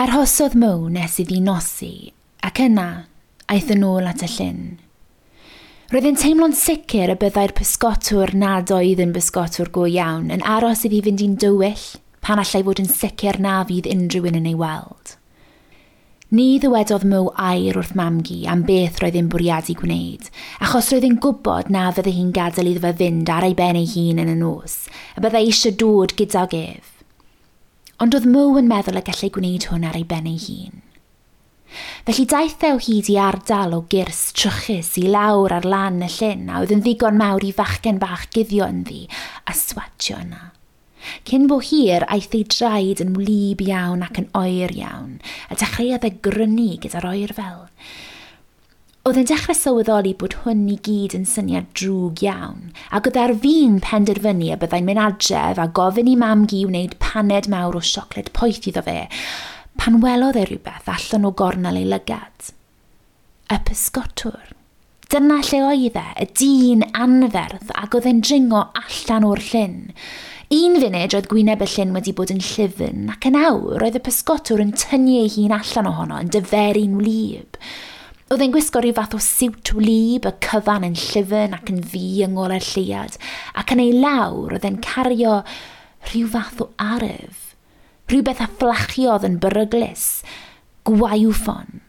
Arhosodd Mo nes iddi nosi, ac yna aeth yn ôl at y llyn. Roedd yn teimlo'n sicr y byddai'r pysgotwr nad oedd yn bysgotwr go iawn yn aros iddi fynd i'n dywyll pan allai fod yn sicr na fydd unrhyw un yn ei weld. Ni ddywedodd Mo air wrth Mamgu am beth roedd e'n bwriadu gwneud, achos roedd e'n gwybod na fyddai hi'n gadael iddo fe fynd ar ei ben ei hun yn y nos, a byddai eisiau dod gydag ef. Ond oedd Mo yn meddwl y gallai gwneud hwn ar ei ben ei hun. Felly daeth e o hyd i ardal o gyrs trwchus i lawr ar lan y llyn a oedd yn ddigon mawr i fachgen bach guddio ynddi a swatio yna. Cyn bo hir, aeth ei draed yn wlyb iawn ac yn oer iawn, a dechreuodd e grynu gyda'r oerfel. Oedd e'n dechrau sylweddoli bod hwn i gyd yn syniad drwg iawn, ac oedd ar fin penderfynu y byddai'n mynd adref a gofyn i mam-gu wneud paned mawr o siocled poeth iddo fe, pan welodd e rhywbeth allan o gornel ei lygad. Y pysgotwr. Dyna lle oedd e, y dyn anferth, ac oedd e'n dringo allan o'r llyn. Un funud roedd gwyneb y llyn wedi bod yn llyfn, ac yn awr roedd y pysgotwr yn tynnu ei hun allan ohono, yn dyferu'n wlyb. Oedd e'n gwisgo rhyw fath o siwt wlyb, y cyfan yn llyfn ac yn ddu yng ngolau'r lleuad, ac yn ei lawr oedd e'n cario rhyw fath o arf. Rhywbeth a fflachiodd yn beryglus, gwaywffon.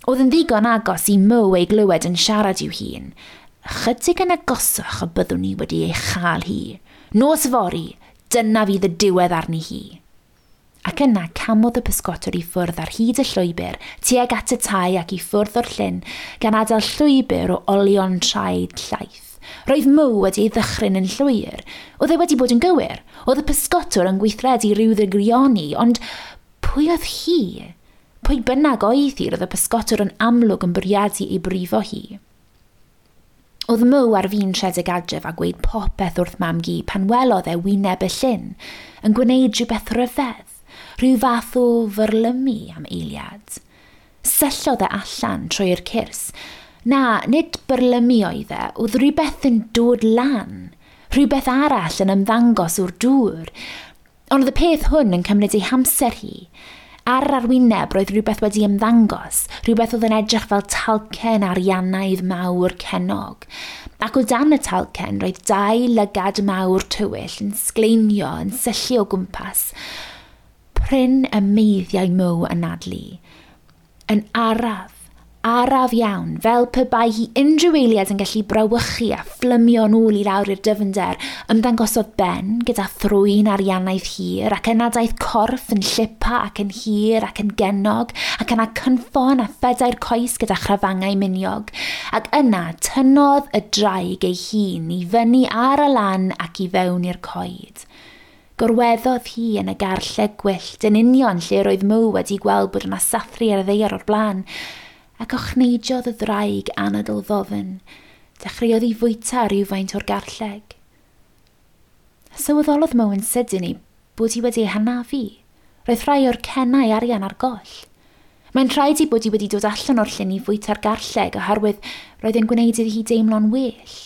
Oedd yn ddigon agos i Mo ei glywed yn siarad i'w hun. Ychydig yn agosach y byddwn ni wedi ei chael hi. Nos fory, dyna fydd y diwedd arni hi. Ac yna camodd y pysgotwr i ffwrdd ar hyd y llwybr, tuag at y tai ac i ffwrdd o'r llyn, gan adael llwybr o olion traed llaith. Roedd Mo wedi ei ddychryn yn llwyr. Oedd e wedi bod yn gywir. Oedd y pysgotwr yn gweithredu rhyw ddrygrioni, ond pwy oedd hi? Pwy bynnag oedd hi, roedd y pysgotwr yn amlwg yn bwriadu ei brifo hi. Oedd Mo ar fin rhedeg adref a gweud popeth wrth mam-gu pan welodd e wyneb y llyn, yn gwneud rhywbeth rhyfedd, rhyw fath o fyrlymu am eiliad. Syllodd e allan trwy'r cyrs. Na, nid byrlymu oedd e, oedd rhywbeth yn dod lan, rhywbeth arall yn ymddangos o'r dŵr. Ond oedd y peth hwn yn cymryd ei hamser hi. Ar yr arwyneb roedd rhywbeth wedi ymddangos, rhywbeth oedd yn edrych fel talcen ariannaidd mawr cennog. Ac o dan y talcen roedd dau lygad mawr tywyll yn sgleinio, yn syllu o gwmpas. Prin y meiddiau Mo anadlu. Yn araf, araf iawn, fel pe bai hi unrhyw eiliad yn gallu brawychu a phlymio nôl i lawr i'r dyfnder, ymddangosodd Ben gyda thrwyn ariannaidd hir, ac yna daeth corff yn llipa ac yn hir ac yn gennog, ac yna cynffon a phedair coes gyda chrafangau miniog, ac yna tynnodd y draig ei hun i fyny ar y lan ac i fewn i'r coed. Gorweddodd hi yn y garlleg gwyllt yn union lle roedd Mo wedi gweld bod yna sathru ar y ddaear o'r blaen, ac ochneidiodd y ddraig anadl ddofn, dechreuodd i fwyta rhywfaint o'r garlleg. Sylweddolodd Mo yn sydyn ei bod hi wedi ei hanafu. Roedd rhai o'r cennau arian ar goll. Mae'n rhaid ei bod hi wedi dod allan o'r llyn i fwyta'r garlleg oherwydd roedd e'n gwneud iddi hi deimlo'n well.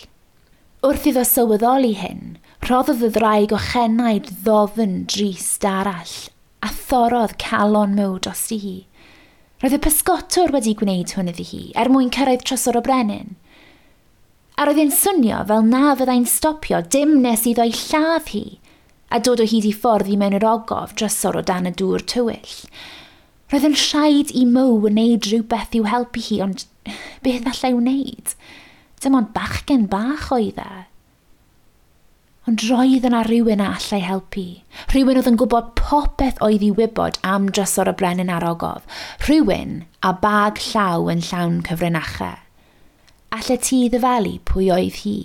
Wrth iddo sylweddoli hyn, rhoddodd y ddraig ochenaid ddofn drist arall a thorrodd calon Mo drosti hi. Roedd y pysgotwr wedi gwneud hwn iddi hi er mwyn cyrraedd trysor o brenin. A roedd e'n swnio fel na fyddai'n stopio dim nes iddo ei lladd hi a dod o hyd i ffordd i mewn i'r ogof drysor o dan y dŵr tywyll. Roedd yn rhaid i Mo wneud rhywbeth i'w helpu hi, ond beth allai wneud? Dim ond bachgen bach oedd e. Ond roedd yna rhywun a allai helpu. Rhywun oedd yn gwybod popeth oedd i wybod am drysor y brenin a'r ogof. Rhywun a bag llaw yn llawn cyfrinachau. Allet ti ddyfalu pwy oedd hi?